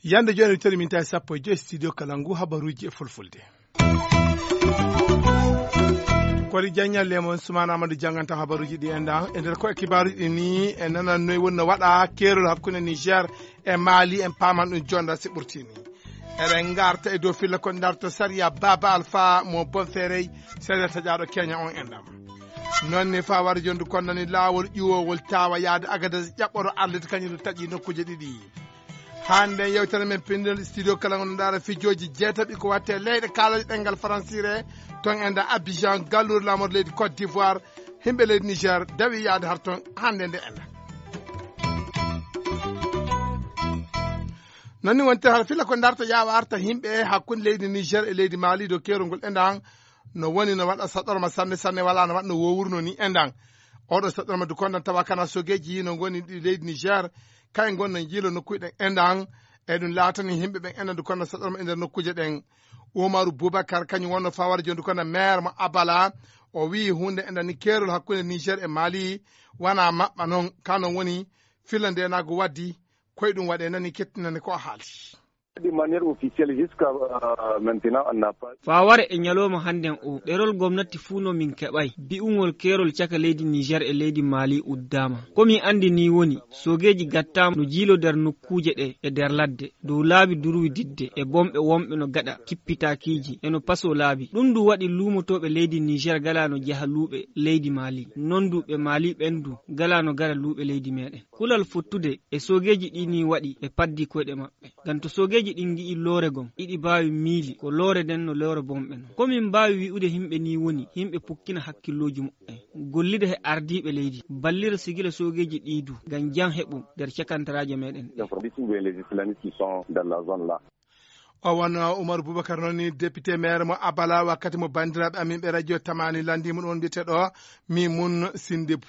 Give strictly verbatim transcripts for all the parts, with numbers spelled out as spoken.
Yande jooni, teri min tawi sappo e joy studio kala ngu habaruuji e fulfulde. Kori Diagne, Lemon Soumana Amadou jannganta habaruuji ɗi enɗan. E nder ko e kibaaruuji ɗi ni, e nanan noy woni no waɗa keerol hakkunde Niger e Mali, en paaman ɗum jonda si ɓurtini. Eɗen ngarta e dow filla ko ndarto sariya Baba Alpha mo Bonferey, sariya taƴaaɗo Kenya on enɗan. Noon ne faa wara jondu kon nani laawol ƴuwoowol tawa yaade Agadez ƴaɓɓoto arlita kañum ɗum taƴi nokkuuje ɗiɗi. Hannde yewtere men pinndol studio kala ngon ndaara fijooji jeetaɓi ko watte leyɗe kaalaji ɗenngal faransiire, ton enɗan Abidjan, galluure laamorde leydi Côte d'Ivoire, himɓe leydi Niger dawi yaade har ton hannde nde enɗan. Noon ni wonte har filla ko ndarta yaawa arta himɓe hakkunde leydi Niger e leydi Mali dow keerol ngol enɗan no woni no waɗa saɗorma sanne sanne wala no waɗa no wowruno ni enɗan. Oɗo saɗorma du kondan tawa kana sogeji no ngoni ɗi leydi Niger, kay ngon no jiilo nokkuji ɗen enɗan. E ɗum laatani himɓe ɓen enɗan du kondan saɗorma e nder nokkuuje ɗen. Umaru Boubacar kañum wonno fawara jondu kondan maire mo Abala, o wi'i hunde enɗan ni keerol hakkunde Niger e Mali wana maɓɓa noon, ka non woni filla ndenago waddi koye ɗum waɗe nani kettinande ko a haalti. De manière officielle, jusqu'à, euh, maintenant, on n'a pas. Faa ware e ñalooma hannden o, ɗerol gomnati fuu no min keɓay. Bi'ungol keerol caka leydi Niger e leydi Mali uddaama. Ko min anndi nii woni, soogeeji gattaama no jiiloo nder nokkuuje ɗee e nder ladde, dow laabi durwi didde, e bomɓe wonɓe no gaɗa kippitaakiiji, e no pasoo laabi. Ɗum du waɗi luumotooɓe leydi Niger galaa no jaha luuɓe leydi Mali. Non du ɓe Mali ɓen du galaa no gara luuɓe leydi meeɗen. Kulal fottude e soogeeji ɗii nii waɗi ɓe paddii koyɗe maɓɓe. Ngam to soogeeji ɗin ngi'ii loore gom, iɗi mbaawi miili ko loore nden no loore bomɓe non. Ko min mbaawi wi'ude himɓe nii woni, yimɓe pukkina hakkillooji muɓɓen, gollida he ardiiɓe leydi, ballira sigila soogeeji ɗii du, ngam jam heɓu nder cakantaraaje meeɗen ɗee. Information des islamistes qui sont dans la zone là. O won Oumar Boubacar noon ni, député maire mo Abala, wakkati mo banndiraaɓe amin ɓe radio Tamani lanndii mo ɗon mbiyeteeɗo Mimoun Sindibou.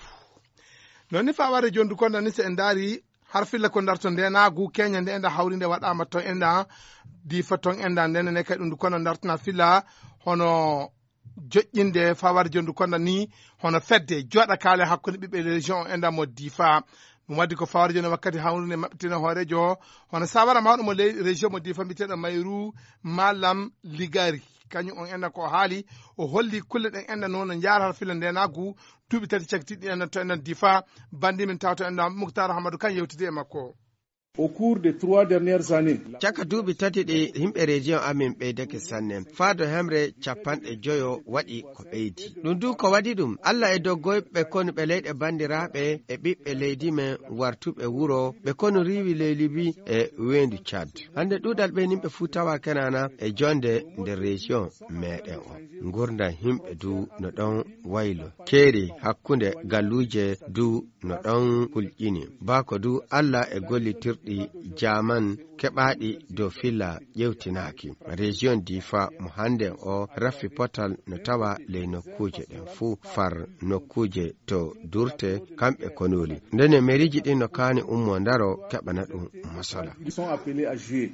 Noon ni faa warde jondu kon nani, so en ndaari har filla ko ndarto ndenaagu keña nde enda hawri nde waɗaama ton enda Difa ton enda ndene ne kay ɗum du kono ndartana filla hono joƴƴinde faa warde jondu kon nani hono fedde jooɗa kaale hakkunde ɓiɓɓe région o enda mo Difa. Ɗum waddi ko faa warde jondu wakkati hawrinde maɓɓitina hooreejo hono sawara mawɗo mo ley région mo Difa mbiyeteeɗo Mayru Malam Ligari. Kañum on enda ko o haali, o holli kulle ɗen enda noon no njaara har filla ndenaagu duuɓi tati cagtiiɗi enda to enda Difa. Banndi min tawto enda Muktar Hamadu kan yewtidi e makko. Au cours des trois dernières années. Caka duuɓi tati ɗi, yimɓe région amin ɓeydake sanne. Faado hemre capanɗe joyo waɗi ko ɓeydi. Ɗum du ko waɗi ɗum, Alla e doggoyɓe konuɓe leyɗe banndiraaɓe e ɓiɓɓe leydi men wartuɓe wuro, ɓe konu riiwi ley Libi e weendu Tchad. Hannde ɗuuɗal ɓe yimɓe fuu tawa Kenana e jonde nder région meeɗen o. Ngurndan yimɓe du no ɗon waylo. Keeri hakkunde galluuje du no ɗon kulƴini. Bako du Alla e gollitirɗi jaaman keɓaaɗi dow filla ƴewtinaaki. Région Difa mo hannden o raffi potal no tawa ley nokkuuje ɗen fuu, far nokkuuje to durte kamɓe konoli. Ndene meriiji ɗin no kaani ummo ndaro keɓana ɗum mosola. Ils sont appelés à jouer.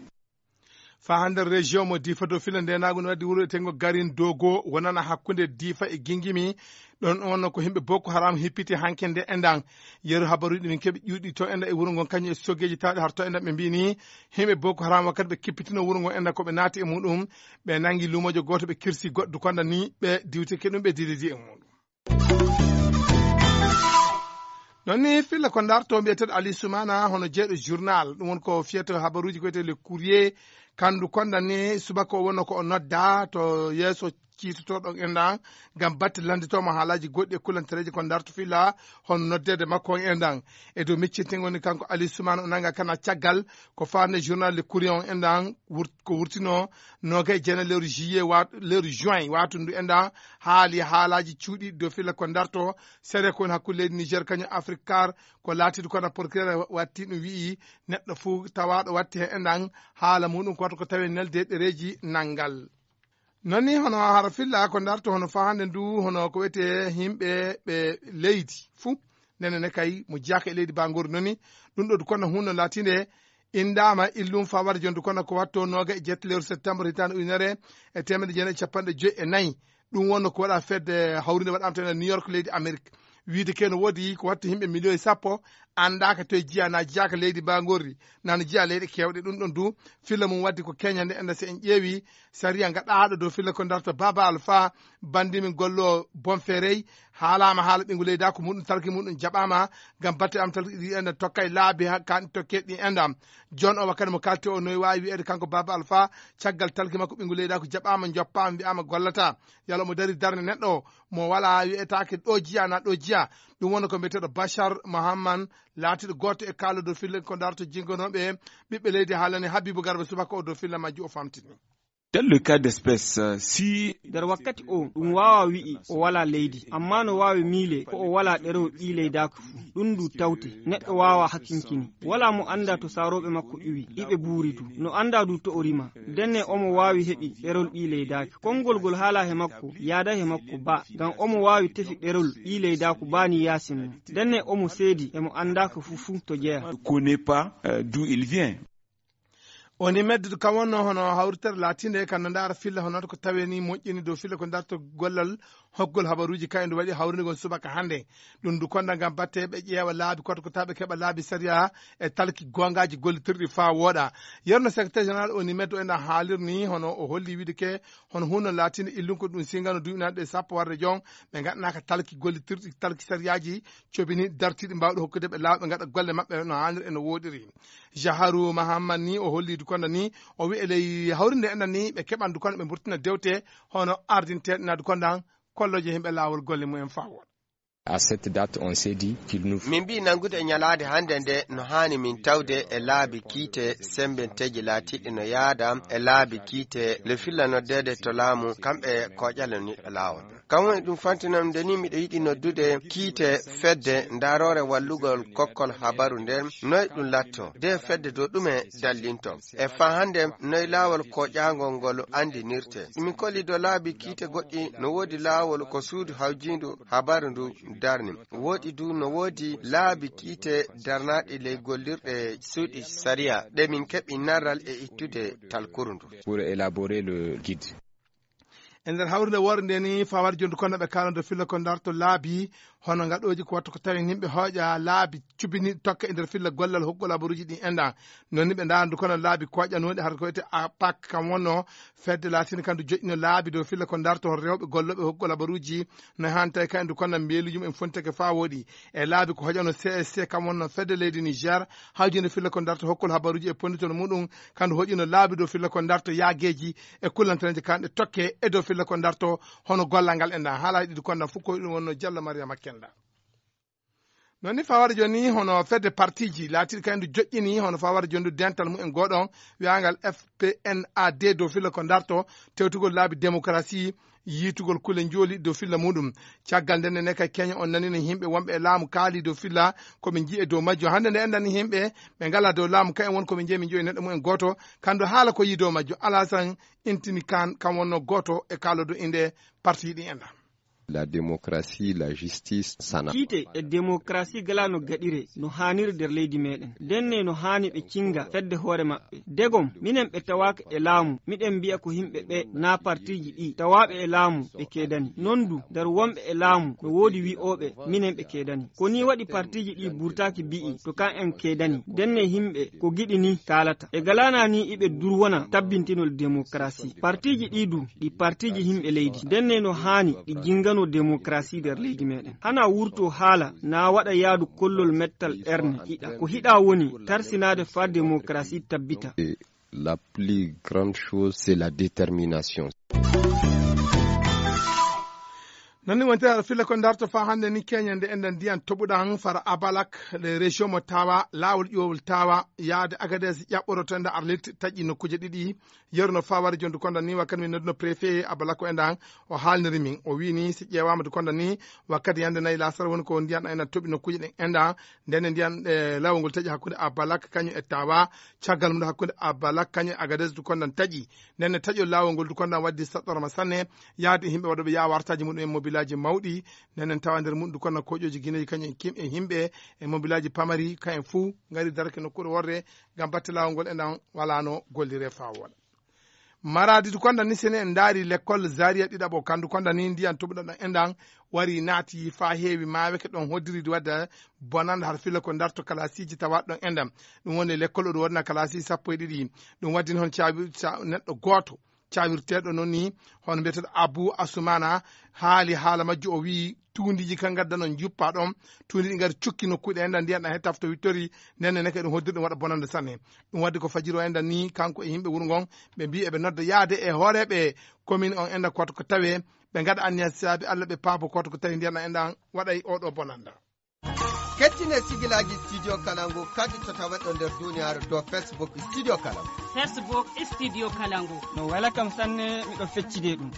Faa hannde région mo Difa dow filla ndenaagu no waddi wuro etengo Garin Dogo wonana hakkunde Difa e Gingimi. Ɗon on ko yimɓe Boko Haram hippiti hanke nde endan. Yeru habaruuji ɗi min keɓi ƴuuɗi to enda e wuro ngon kañum e soogeeji tawɗi har to enda ɓe mbi'i ni yimɓe Boko Haram wakkati ɓe kippitino wuro ngon enda ko ɓe naati e muɗum. Ɓe nangi luumoojo gooto ɓe kirsi goɗɗo konda ni ɓe diwtike ɗum ɓe dididi e muɗum. Noon ni filla ko ndarto mbiyeteeɗo Ali Soumana hono jeeɗo journal, ɗum woni ko fiyata habaruuji ko wiyetee Le Courrier, kandu konda ni subaka o wonno ko o nodda to yeeso ciitotoɗo enɗan ngam batte lannditooma haalaaji goɗɗi e kulantereeji ko ndarto filla hono noddeede makko on enɗan. E dow miccinte ngoni kanko Ali Soumana o nanga kana caggal ko faande journal Le Courrier on enɗan wurt-, ko wurtino noogay e jeenayi lewru juillet wa-, lewru juin watundu enɗan haali haalaaji cuuɗi dow filla ko ndarto sere ko woni hakkunde leydi Niger kañum Afrique Car ko laatiiɗo kono procureur watti ɗum wi'i neɗɗo fuu tawaaɗo watti heen enɗan haala muɗum ko wata ko tawi nelde ɗereeji nanngal. Noon ni hono hara filla ko ndarto hono faa hannde ndu hono ko wiyetee yimɓe ɓe leydi fuu. Nene ne kay mo jiyaka e leydi ba ngori noon ni ɗum ɗo du kono hunno laatiinde Inndaama illum fawade jonde kono ko watto nooga e jetti lewru septembre hitaande ujunere e teemedde jeenayi e capanɗe joyi e nayi. Ɗum wonno ko waɗa fedde hawrinde waɗaama to ene New York, leydi Amerik. Wiide ke no woodi ko watta yimɓe miliyoŋ sappo anndaaka to e jiya na jiyaaka leydi mbaagorri, na no jiya leyɗe keewɗe. Ɗum ɗon du filla mum waddi ko keñande enda si en ƴeewi sariya gaɗaaɗo dow filla ko darta Baba Alfa, banndi min gollo Bonferey, haalaama haala ɓinngu leydaako muɗum, talki muɗum jaɓaama ngam batte am talki ɗi enda tokkay laabi ha kan tokke ɗi enda. Jon o wakkati mo kalti o noy waawi wi'ede kanko Baba Alfa, caggal talki makko ɓinngu leydaako jaɓaama, joppaama, wi'aama gollata. Yalla omo dari darne neɗɗo mo wala wi'etaake ɗo jiya na ɗo jiya. Ɗum woni ko mbiyeteeɗo Bachar Mohamman, laatiiɗo gooto e kaalo dow filla ko darto jingonooɓe ɓiɓɓe leydi, haalani Habibu Garba subaka o dow filla majju o famtini. Dans le cas d'espèce, euh, si nder wakkati o ɗum waawa wi'i o wala leydi, amma no waawi miile ko o wala ɗerewol ɓii leydaako fuu. Ɗum ndu tawte, neɗɗo waawa hakkinkini. Wala mo annda to saarooɓe makko iwi, iɓe buuri du. No annda du to o rima. Ndenne omo waawi heɓi ɗerewol ɓii leydaako. Konngol ngol haala he makko, yaada he makko ba, ngam omo waawi tefi ɗerewol ɓii leydaako ba ni yaasin mo. Ndenne omo seedi, emo annda ko fuu fuu to jeya. Ne connaît pas, euh, d'où il vient. Woni meddude kam wonno hono hawritere laatiinde kan no ndaara filla hono ko tawe ni moƴƴini dow filla ko darto gollal hokkol habaruuji kayɗo waɗi hawrinde ngon subaka hannde. Ɗum du konda ngam batte ɓe ƴeewa laabi koto ko tawa ɓe keɓa laabi sariya e talki goongaaji gollitirɗi faa wooɗa. Yerno secrétaire général O N I M E D o ena haalirni hono o holli wiide ke hono hunno laatiinde illum ko ɗum singano duuɓi nanɗe sappo warde jon ɓe ngaɗanaaka talki gollitirɗi talki sariyaaji cobini dartiiɗi mbaawɗi hokkude ɓe laaw ɓe ngaɗa golle maɓɓe no haaniri e no wooɗiri. Jaharu Mahammad ni o holli Dukonda ni o wi'i e ley hawrinde enɗan ni ɓe keɓan Dukonda ɓe mburtina dewte hono ardinteeɗe na Dukonda kolloje himɓe laawol golle mumen faa wooɗa. À cette date, on s'est dit qu'il nous faut Min mbiyi nanngude e ñalaande hannde nde no haani min tawde e laabi kiite semmbenteeji laatiiɗi no yaada e laabi kiite le filla noddeede to laamu kamɓe kooƴale niɗɗo laawol. Kam woni ɗum fantinam nde ni miɗo yiɗi noddude kiite fedde ndaaroore wallugol kokkol habaru nden, noy ɗum latto, de fedde dow ɗume dallinto. E faa hannde noy laawol kooƴaangol ngol anndinirte. Min kolli dow laabi kiite goɗɗi no woodi laawol ko suudu hawjiindu habaru ndu darni. Woodi du no woodi laabi kiite darnaaɗi ley gollirɗe suuɗi sariya ɗe min keɓi narral e ittude talkuru ndu. Pour élaborer le guide. E nder hawrinde woore nde ni fawar jondu kono ɓe kalando filla ko darto laabi hono ngaɗooji ko wattu ko tawi yimɓe hooƴa laabi cubini tokka e nder filla gollal hokkol habaruuji ɗi enɗan. Non ni ɓe ndarandu kono laabi koƴanooɗi hara ko wiyete A P A C kam wonno fedde laatinde kam ndu joƴƴino laabi dow filla ko darto hol rewɓe gollooɓe hokkol habaruuji no haani tawi kayen ndu kono mbeeluuji mumen fonteke faa wooɗi. E laabi ko hoƴano C S C kam wonno fedde leydi Niger hawjinde filla ko darto hokkol habaruuji e ponditol muɗum kandu hoƴino laabi dow filla ko darto yaageeji e kullantaneeji kanɗe tokke e dow filla ko darto hono gollal ngal e nda haala ɗiɗi konda fof ko ɗum wonno Diallo Mariama Kenda. Non ni fawara joni hono fedde partiji laatiɗi kay ndu joƴƴini hono fawara joni ndu dental mumen goɗon wiyangal F P N A D dow filla ko darto tewtugol laabi démocratie yiitugol kule njooli dow filla muɗum. Caggal nden ne kay keña on nanino yimɓe wonɓe e laamu kaali dow filla ko ɓe njiye dow majjo hannde nde enɗan yimɓe ɓe ngala dow laamu kayen won ko ɓe njeyi ɓe njoyi neɗɗo mumen gooto kandu haala ko yii dow majjo. Alasan intini kan kan wonno gooto e kaalodo inde parti ɗi enɗan. La démocratie, la justice, sana. Kiite e démocratie gala no gaɗire no haaniri nder leydi meɗen. Ndenne no haani ɓe cinga fedde hoore maɓɓe. Degom, minen ɓe tawaaka e laamu, miɗen mbi'a ko yimɓe ɓe na partiji ɗi tawaaɓe e laamu ɓe keedani. Non du, nder wonɓe e laamu no woodi wi'ooɓe minen ɓe keedani. Ko ni waɗi partiji ɗi burtaaki mbi'i to kan en keedani. Ndenne yimɓe ko giɗi ni kaalata. E galana ni iɓe durwona tabbintinol démocratie. Partiji ɗi du, ɗi partiji yimɓe leydi. Ndenne no haani ɗi jingano démocratie nder leydi meɗen. Hana wurto haala, na waɗa yaadu kollol mettal erne hiɗa. Ko hiɗa woni tarsinaade faa démocratie tabbita. Et la plus grande chose, c'est la détermination. Non ni wonte aɗa filla ko darto faa hannde ni keñande enɗan ndiyan toɓuɗan fara Abalak, le région mo tawa, laawol ƴuwol tawa, yaade Agadez ƴaɓɓoroto enɗan Arlit taƴƴi nokkuuje ɗiɗi. Yeru no fawari jondu konda ni wakkati min nodduno préfet Abalak ko enɗan o haalniri min. O wii ni si ƴeewaama du konda ni wakkati yande nayi laasara woni ko ndiyan ɗan enɗan toɓi nokkuuje ɗen enɗan. Ndenne ndiyan, eh, laawol ngol taƴi hakkunde Abalak kañum e tawa. Caggal mum hakkunde Abalak kañum e Agadez du kondan taƴi. Ndenne taƴol laawol ngol du kondan waddi saɗɗorma sanne yaade yimɓe waɗuɓe yaa wartaaji muɗum en mobil Laaji mawɗi, nden en tawa nder muɗum kon na koƴooji gineeji, kañum en kim e himɓe e mobilaaji pamari, kañum fuu ngari darake nokkuure worre ngam batte laawol ngol enɗan walaano golliree faa wooɗa. Maraadi du konda ni sene en ndaari lekkol Zaria ɗiɗaɓo, kandu konda ni ndiyan toɓuɗo ɗon enɗan wari naati faa heewi maaweke ɗon hoddiri di wadda bonanda har filla ko darto kalaasiiji tawa ɗon enɗan. Ɗum woni lekkol o ɗum waɗna kalaasiiji sappo e ɗiɗi. Ɗum waddini hon caabi-, ca-, neɗɗo gooto caawirteeɗo noon ni, hono mbiyeteeɗo Abu Asumana, haali haala majju, o wiyi tuundiiji kan ngadda noon njuppa ɗon, tuundi ɗi ngari cukki nokkuuji ɗe enɗan ndiyan ɗan he tafto wittori, nden ne neke ɗum hoddiri ɗum waɗa bonande sanne. Ɗum waddi ko fajiri o enɗan ni, kanko e yimɓe wuro ngon, ɓe mbiyi eɓe nodda yaade e hooreeɓe commune on enɗan koto ko tawe, ɓe ngaɗa anniya saabi Alla ɓe paabo koto ko tawi ndiyan ɗan enɗan waɗay oɗo bonanda. Kettine sigilaaji Studio Kalangu kadi to taweɗo nder duniyaaru dow Facebook Studio Kalangu. Facebook Studio Kalangu. No wela kam sanne, miɗo feccide ɗum.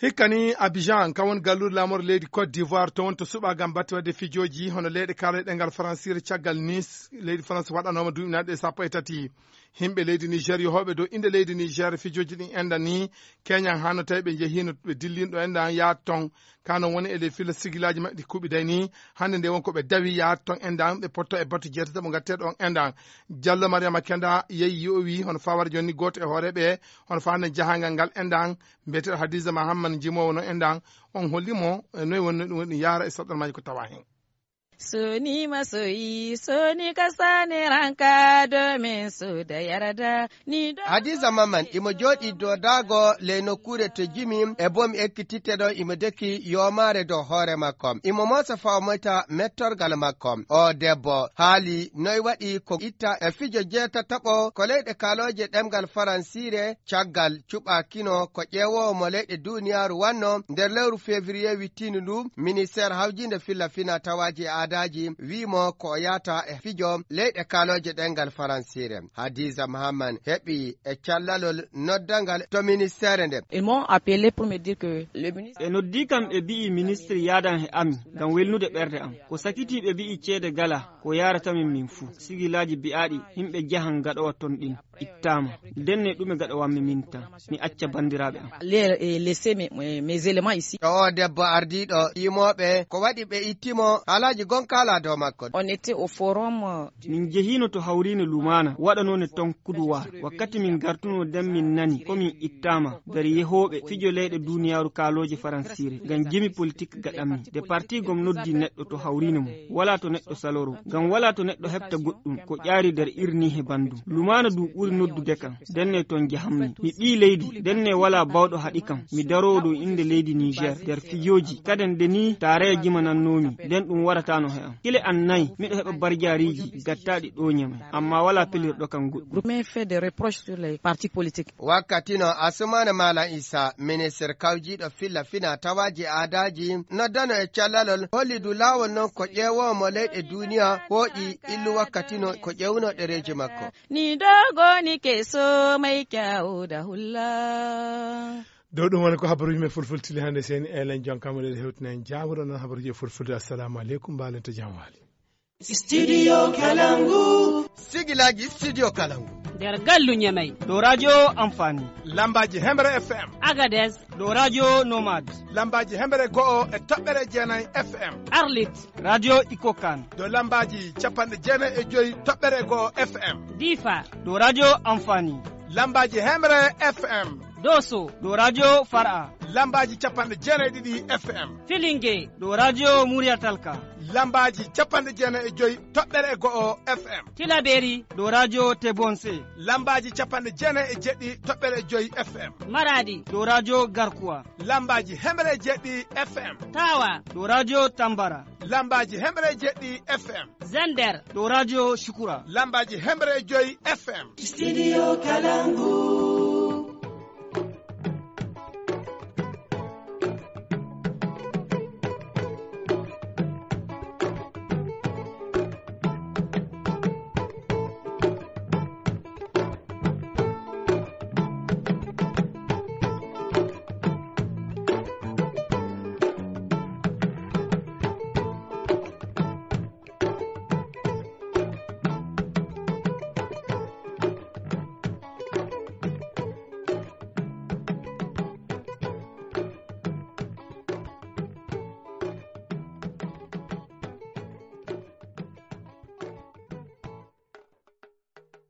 Hikka ni Abidjan, kan woni galluure laamorde leydi Côte d'Ivoire, to woni to suɓa ngam batte waɗde fijooji, hono leyɗe kaalooje ɗemngal Faransiire caggal Nice, leydi France waɗanooma duuɓi naatɗe sappo e tati. Himɓe leydi Niger yohooɓe dow innde leydi Niger fijooji ɗin enɗan ni, keñan hano tawi ɓe njehiino ɓe dillinɗo enɗan yahat ton. Ka non woni e ley filla sigilaaji maɓɓe ɗi kuɓiday ni, hannde nde won ko ɓe dawi yahat ton enɗan, ɓe potto e batte jeetati mo ngatteeɗo on enɗan. Jallo Mariama Kenda yehi yowi hono fawara jonni gooto e hooreeɓe, hono fa hannde jahangal ngal enɗan, mbiyeteeɗo Hadiza Mahamman jimoowo no enɗan, on holli mo e noy woni no ɗum woni yahra e saɗɗormaaji ko tawa hen. Soni masoyi, soni kasane ranka domin su da yarda ni do. Hadiza Maman, imo jooɗi dow daago ley nokkuure to jimi, e bomi ekkititte ɗo, imo deki yoomaare dow hoore makko. Imo moosa faa o moyta mettorgal makko. O debbo haali noy waɗi ko itta e fijo jeetataɓo ko leyɗe kaalooje ɗemngal Faransiire, caggal cuɓaakino ko ƴeewoowo mo leyɗe duuniyaaru wanno nder lewru février wittiindu ndu, ministeer hawjiinde filla fina tawaaji e aadaaji wi'i mo ko o yahata e fijo leyɗe kaalooje ɗemngal Faransiire. Hadiza Mahaman heɓi e callalol noddangal to ministeere nde. Ils m'ont appelé pour me dire que le ministre Ɓe noddi kam, ɓe mbi'i ministre yaadan he amin ngam welnude ɓernde am. Ko sakitii ɓe mbi'i ceede gala ko yaarata min min fuu. Sigilaaji bi'aaɗi yimɓe jahan gaɗowa ton ɗin ittaama. Ndenne ɗume gaɗowanmi min tan? Mi acca banndiraaɓe am. Les, eh, laisser mes, mes, mes éléments ici. To o debbo ardiiɗo yimooɓe, ko waɗi ɓe itti mo? Haalaaji gonka alaa dow makko. On était au forum, euh, Min njehiino to hawriine Lumaana, waɗanoone ton kuduwaar. Wakkati min ngartunoo nden min nani ko min ittaama nder yehooɓe fijo leyɗe duuniyaaru kaalooje Faransiire, ngam jimi politik gaɗanmi. Nde parti gom noddi neɗɗo to hawriine mum, walaa to neɗɗo saloro, ngam walaa to neɗɗo heɓta goɗɗum ko ƴaari nder irni he banndum. Lumaana du ɓuri noddude kam, ndenne ton jahammi. Mi ɓii leydi, ndenne walaa bawɗo haɗi kam. Mi daroowo dow innde leydi Niger nder fijooji. Kaden de ni taaraya jimanannoomi, nden ɗum warataano he am. Kile an nayi, miɗo heɓa barjaariiji gattaaɗi ɗooñe men, amma walaa pelirɗo kam goɗɗum. Groupe fait des reproches sur les partis politiques. Wakkati no Asumana Malam Isa, ministre kawjiiɗo filla fina tawaaji aadaaji, noddano e callalol, holli du laawol non ko ƴeewoowo mo leyɗe duuniya hooƴi illu wakkati no ko ƴeewuno ɗereeji makko. Ni dogo ni keso mai kyau da hulla. Dow ɗum woni ko habaruuji men fulfulde tili hannde. Seni Elen Jon Kamaleɗo hewtina en jaamuɗo noon habaruuji e fulfulde. Assalamu aleykum, mbaalen to jam waali. Studio Kalangu. Sigilaaji Studio Kalangu. Nder gallu Ñamey. Dow radio Amfani. Lambaaji Hemre F M. Agadez. Dow radio Nomad. Lambaaji Hemre go'o e toɓɓere jeenayi F M. Arlit. Radio Ikokan. Dow lambaaji capanɗe jeenayi e joyi toɓɓere go'o F M. Difa. Dow radio Amfani. Lambaaji Hemre F M. Doso. Dow radio Far'a. Lambaaji capanɗe jeenayi e ɗiɗi F M. Filinge. Dow radio Murya Talka. Lambaaji capanɗe jeenayi e joyi toɓɓere e go'o F M. Tilaberi. Dow radio Tebonse. Lambaaji capanɗe jeenayi e jeɗɗi toɓɓere e joyi F M. Maradi. Dow radio Garkuwa. Lambaaji hemre e jeɗɗi F M. Tawa. Dow radio Tambara. Lambaaji hemre e jeɗɗi F M. Zender. Dow radio Shukura. Lambaaji hemre e joyi F M. Studio Kalangu.